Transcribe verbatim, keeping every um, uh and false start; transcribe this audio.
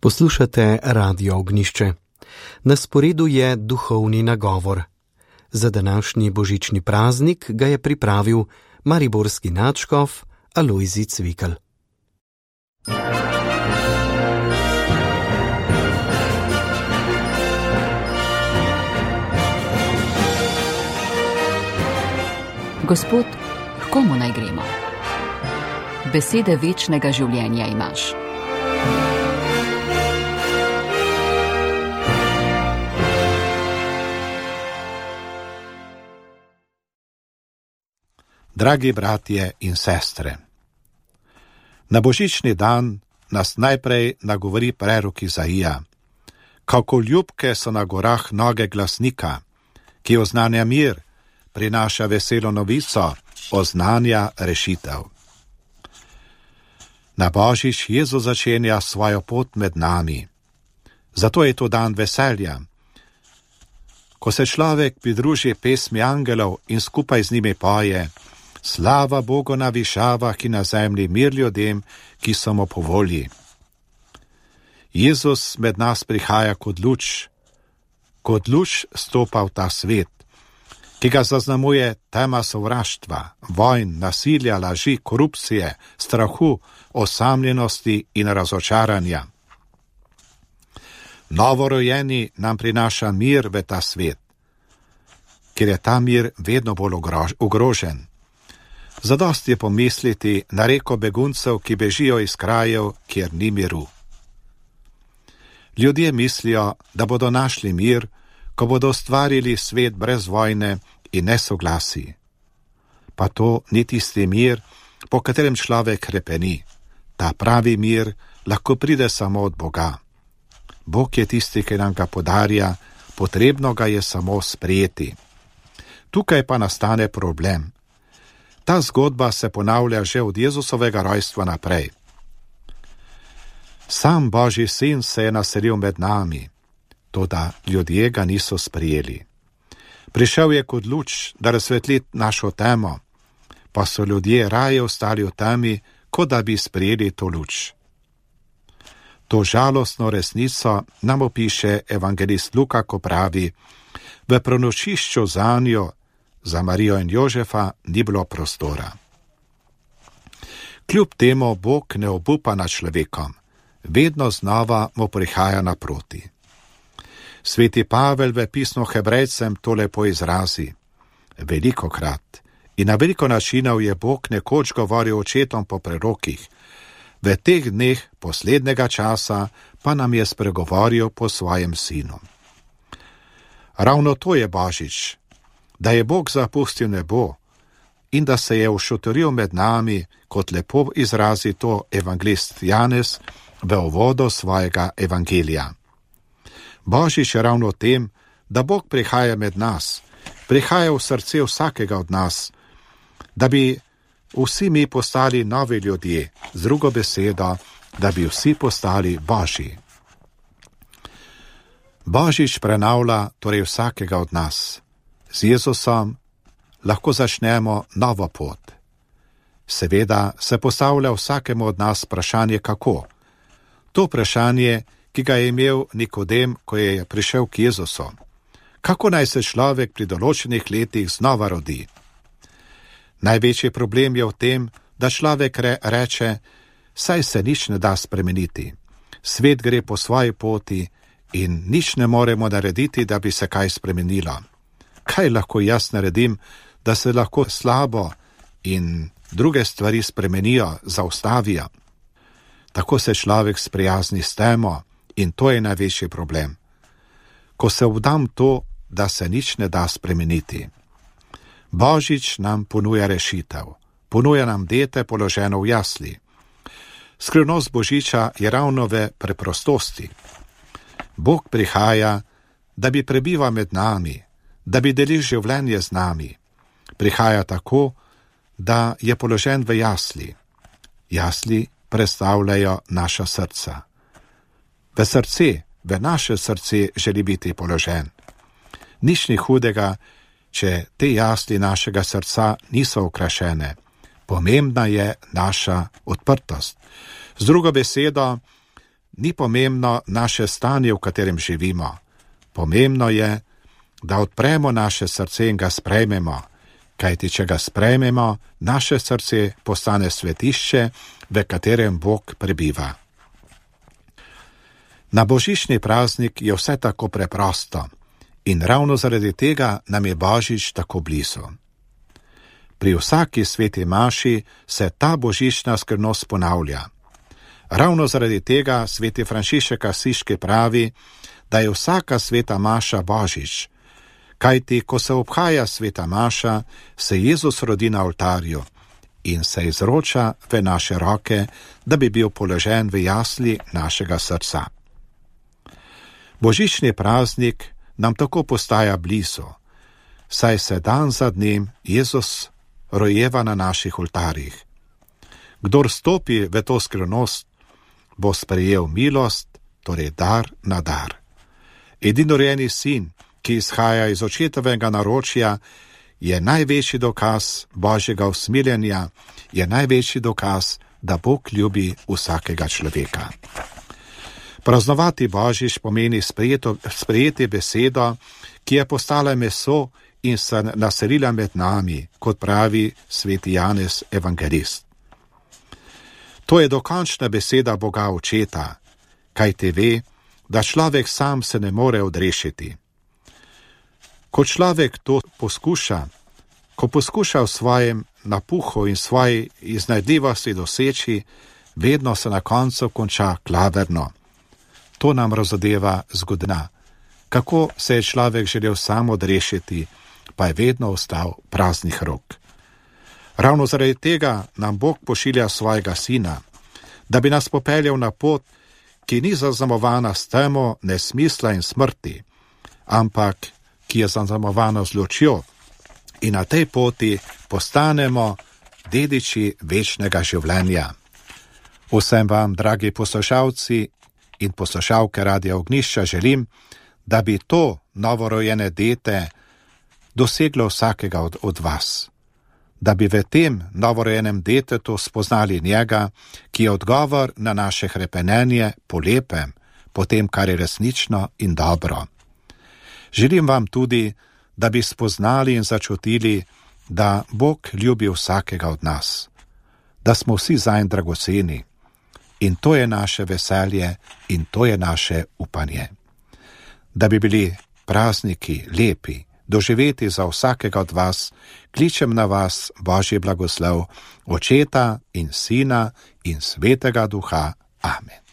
Poslušate Radio Ognjišče. Na sporedu je duhovni nagovor. Za današnji božični praznik ga je pripravil mariborski nadškof Alojzij Cvikl. Gospod, h komu naj gremo? Besede večnega življenja imaš. Dragi bratje in sestre, na božični dan nas najprej nagovori prerok Izaija. Kako ljubke so na gorah noge glasnika, ki oznanja mir, prinaša veselo novico, oznanja rešitev. Na božič Jezus začenja svojo pot med nami. Zato je to dan veselja. Ko se človek pridruži pesmi angelov in skupaj z njimi poje: Slava Bogu na višavah in na zemlji mir ljudem, ki so mu po volji. Jezus med nas prihaja kot luč, kot luč stopa v ta svet, ki ga zaznamuje tema sovraštva, vojn, nasilja, laži, korupcije, strahu, osamljenosti in razočaranja. Novorojeni nam prinaša mir v ta svet, ker je ta mir vedno bolj ogrožen. Zadosti je pomisliti na reko beguncev, ki bežijo iz krajev, kjer ni miru. Ljudje mislijo, da bodo našli mir, ko bodo ustvarili svet brez vojne in nesoglasij. Pa to ni tisti mir, po katerem človek hrepeni. Ta pravi mir lahko pride samo od Boga. Bog je tisti, ki nam ga podarja, potrebno ga je samo sprejeti. Tukaj pa nastane problem. Ta zgodba se ponavlja že od Jezusovega rojstva naprej. Sam Božji sin se je naselil med nami, toda ljudje ga niso sprijeli. Prišel je kot luč, da razsvetli našo temo, pa so ljudje raje ostali v temi, kot da bi sprijeli to luč. To žalostno resnico nam opiše evangelist Luka, ko pravi: v prenočišču zanjo, za Marijo in Jožefa, ni bilo prostora. Kljub temu Bog ne obupa nad človekom, vedno znova mu prihaja naproti. Sveti Pavel v pismu Hebrejcem to lepo izrazi: velikokrat in na veliko načinov je Bog nekoč govoril očetom po prerokih, v teh dneh poslednjega časa pa nam je spregovoril po svojem sinu. Ravno to je božič, da je Bog zapustil nebo in da se je ušotoril med nami, kot lepo izrazi to evangelist Janez v uvodu svojega evangelija. Božič je ravno v tem, da Bog prihaja med nas, prihaja v srce vsakega od nas, da bi vsi mi postali novi ljudje, z drugo besedo, da bi vsi postali Božji. Božič prenavlja torej vsakega od nas. Z Jezusom lahko začnemo novo pot. Seveda se postavlja vsakemu od nas vprašanje kako. To vprašanje, ki ga je imel Nikodem, ko je prišel k Jezusu. Kako naj se človek pri določenih letih znova rodi? Največji problem je v tem, da človek re, reče, saj se nič ne da spremeniti. Svet gre po svoji poti in nič ne moremo narediti, da bi se kaj spremenilo. Kaj lahko jaz naredim, da se lahko slabo in druge stvari spremenijo, zaustavijo? Tako se človek sprijazni s temo in to je največji problem. Ko se vdam to, da se nič ne da spremeniti. Božič nam ponuja rešitev, ponuja nam dete položeno v jasli. Skrivnost božiča je ravno v preprostosti. Bog prihaja, da bi prebival med nami, da bi delil življenje z nami. Prihaja tako, da je položen v jasli. Jasli predstavljajo naša srca. V srce, v naše srce želi biti položen. Nič ni hudega, če te jasli našega srca niso okrašene. Pomembna je naša odprtost. Z drugo besedo, ni pomembno naše stanje, v katerem živimo. Pomembno je, da odpremo naše srce in ga sprejmemo, kajti če ga sprejmemo, naše srce postane svetišče, v katerem Bog prebiva. Na božični praznik je vse tako preprosto in ravno zaradi tega nam je Božič tako blizu. Pri vsaki sveti maši se ta božična skrivnost ponavlja. Ravno zaradi tega sveti Frančišek Asiški pravi, da je vsaka sveta maša Božič, kajti ko se obhaja sveta maša, se Jezus rodi na oltarju in se izroča v naše roke, da bi bil položen v jasli našega srca. Božični praznik nam tako postaja blizu, saj se dan za dnem Jezus rojeva na naših oltarjih. Kdor stopi v to skrivnost, bo sprejel milost, torej dar na dar. Edinorojeni sin, ki izhaja iz očetovega naročja, je največji dokaz Božjega usmiljenja, je največji dokaz, da Bog ljubi vsakega človeka. Praznovati Božič pomeni sprejeto, sprejeti besedo, ki je postala meso in se naselila med nami, kot pravi sveti Janez evangelist. To je dokončna beseda Boga Očeta, kajti ve, da človek sam se ne more odrešiti. Ko človek to poskuša, ko poskuša v svojem napuhu in svoji iznajdljivosti doseči, vedno se na koncu konča klavrno. To nam razodeva zgodovina. Kako se je človek želel sam odrešiti, pa je vedno ostal praznih rok. Ravno zaradi tega nam Bog pošilja svojega sina, da bi nas popeljal na pot, ki ni zaznamovana s temo nesmisla in smrti, ampak ki je zaznamovana z lučjo, in na tej poti postanemo dediči večnega življenja. Vsem vam, dragi poslušalci in poslušalke Radia Ognjišča, želim, da bi to novorojene dete doseglo vsakega od, od vas. Da bi v tem novorojenem detetu spoznali njega, ki je odgovor na naše hrepenenje po lepem, po tem, kar je resnično in dobro. Želim vam tudi, da bi spoznali in začutili, da Bog ljubi vsakega od nas, da smo vsi zanj dragoceni in to je naše veselje in to je naše upanje. Da bi bili prazniki lepi, doživeti za vsakega od vas, kličem na vas Božji blagoslov, Očeta in Sina in Svetega Duha. Amen.